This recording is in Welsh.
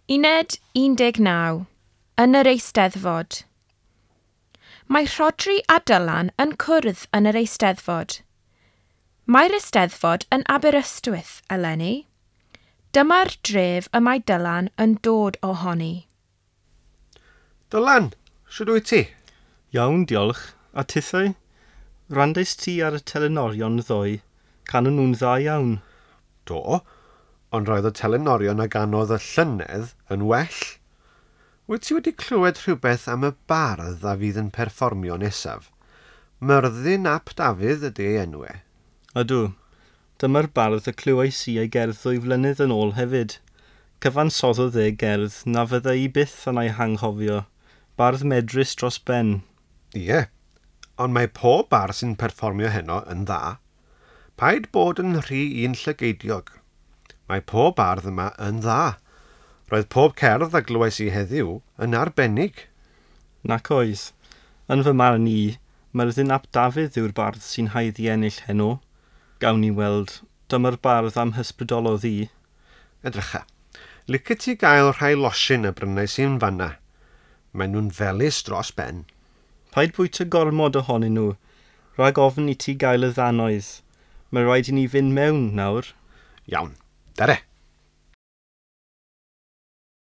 Uned 19. Yn yr Eisteddfod. Mae Rhodri a Dylan yn cwrdd yn yr Eisteddfod. Mae'r Eisteddfod yn Aberystwyth eleni. Dyma'r dref y mae Dylan yn dod ohoni. Dylan, shwd wyt ti? Iawn, diolch. A tithau? Wrandais ti ar y telenorion ddoe. Canon nhw'n dda iawn. Do, ond roedd y telenorion a ganodd y llynedd yn well. Wyt ti wedi clywed rhywbeth am y bardd a fydd yn perfformio nesaf? Myrddin ap Dafydd ydy ei enw e. Ydw. Dyma'r bardd y clywais i ei gerdd ddwy flynedd yn ôl hefyd. Cyfansoddodd e gerdd na fydda i byth yn ei hanghofio. Bardd medrus dros ben. Ie, ond mae pob bardd sy'n perfformio heno yn dda. Paid bod yn rhy un llygeidiog. Mae pob bardd yma yn dda. Roedd pob cerdd a glywais i heddiw yn arbennig. Nac oedd. Yn fy marn i, Myrddin ap Dafydd yw'r bardd sy'n haeddu ennill heno. Gawn ni weld, dyma'r bardd am hysbrydolodd i. Edrycha, licet ti gael rhai losin a brynais i'n fanna. Maen nhw'n felys dros ben. Paid bwyta gormod ohonyn nhw, rhag ofn i ti gael y ddannoedd. Mae rhaid i ni fynd mewn nawr. Iawn, dere.